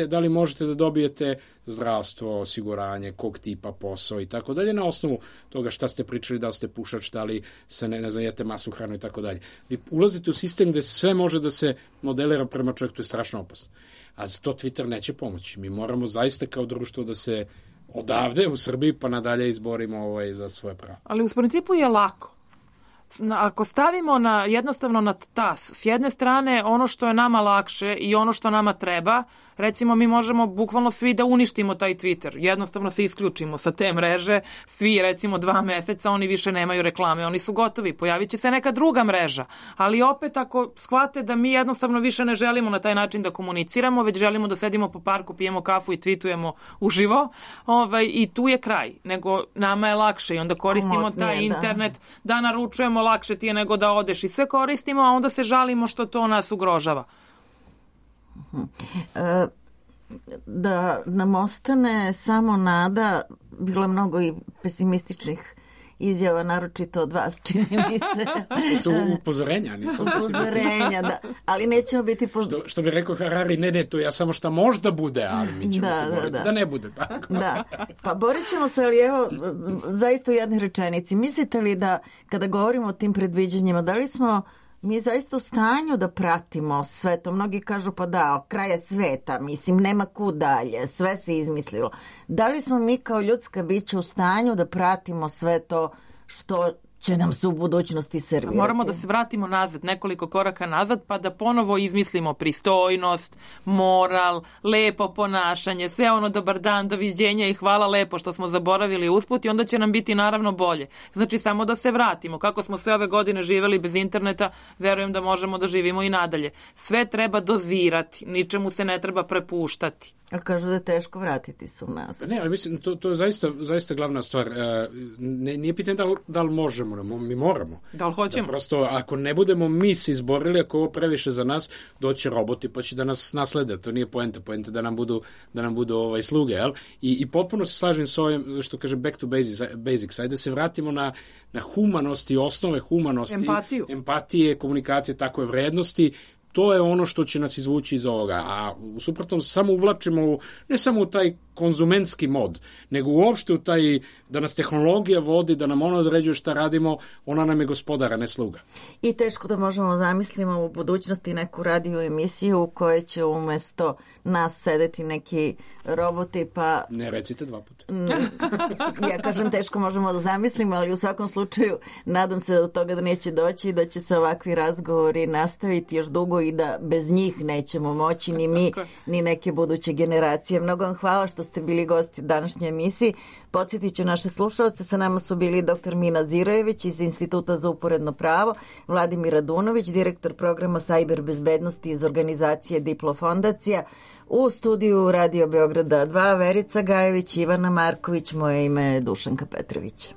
da li možete da dobijete zdravstvo, osiguranje, kog tipa posao i tako dalje, na osnovu toga šta ste pričali, da li ste pušač, da li se ne znam, jete masu hranu i tako dalje. Vi ulazite u sistem gde sve može da se modelira prema čovjeku, to je strašno opasno. A za to Twitter neće pomoći. Mi moramo zaista kao društvo da se odavde u Srbiji pa nadalje izborimo za svoje pravo. Ali u principu je lako. Ako stavimo jednostavno na tas, s jedne strane ono što je nama lakše i ono što nama treba, recimo mi možemo bukvalno svi da uništimo taj Twitter, jednostavno se isključimo sa te mreže, svi recimo 2 meseca, oni više nemaju reklame, oni su gotovi, pojavit će se neka druga mreža, ali opet ako shvate da mi jednostavno više ne želimo na taj način da komuniciramo, već želimo da sedimo po parku, pijemo kafu i tweetujemo uživo, i tu je kraj, nego nama je lakše i onda koristimo taj internet da naručujemo, lakše ti je nego da odeš i sve koristimo, a onda se žalimo što to nas ugrožava. Da nam ostane samo nada, bilo je mnogo i pesimističnih izjava, naročito od vas, čini mi se. To su upozorenja, nisu upozorenja, da. Ali nećemo biti... Što bi rekao Harari, ne, to ja samo šta možda bude, ali mi ćemo se boriti da ne bude tako. Da, pa borit ćemo se, ali evo, zaista u jednoj rečenici. Mislite li da, kada govorimo o tim predviđanjima, da li smo mi zaista u stanju da pratimo sve to? Mnogi kažu pa da, kraja sveta, mislim, nema kud dalje, sve se izmislilo. Da li smo mi kao ljudska bića u stanju da pratimo sve to što će nam se u budućnosti servirati? Moramo da se vratimo nazad, nekoliko koraka nazad, pa da ponovo izmislimo pristojnost, moral, lepo ponašanje, sve ono dobar dan, doviđenja i hvala lepo što smo zaboravili usput i onda će nam biti naravno bolje. Znači samo da se vratimo. Kako smo sve ove godine živeli bez interneta, verujem da možemo da živimo i nadalje. Sve treba dozirati, ničemu se ne treba prepuštati. Ali kažu da je teško vratiti se u nazad. Ne, ali mislim, to je zaista glavna stvar. Nije pitanje da li možemo, mi moramo. Da li hoćemo? Da prosto, ako ne budemo mi se izborili, ako ovo previše za nas, doće roboti pa će da nas naslede. To nije poenta da nam budu sluge. Jel? I potpuno se slažem s ovim, što kaže back to basics. Ajde se vratimo na humanost i osnove humanosti. Empatije, komunikacije, takve vrednosti. To je ono što će nas izvući iz ovoga, a u suprotnom samo uvlačimo ne samo u taj konzumentski mod, nego uopšte u taj da nas tehnologija vodi, da nam ona određuje šta radimo, ona nam je gospodara, ne sluga. I teško da možemo zamislimo u budućnosti neku radio emisiju u kojoj će umesto nas sedeti neki roboti, pa... Ne recite 2 puta. Ja kažem teško možemo da zamislimo, ali u svakom slučaju nadam se do toga da neće doći i da će se ovakvi razgovori nastaviti još dugo i da bez njih nećemo moći ni mi, ni neke buduće generacije. Mnogo vam hvala što ste bili gosti u današnjoj emisiji. Podsjetit ću naše slušalce, sa nama su bili dr. Mina Zirojević iz Instituta za uporedno pravo, Vladimir Radunović, direktor programa Sajber bezbednosti iz organizacije Diplo fondacija, u studiju Radio Beograda 2, Verica Gajević, Ivana Marković, moje ime je Dušanka Petrović.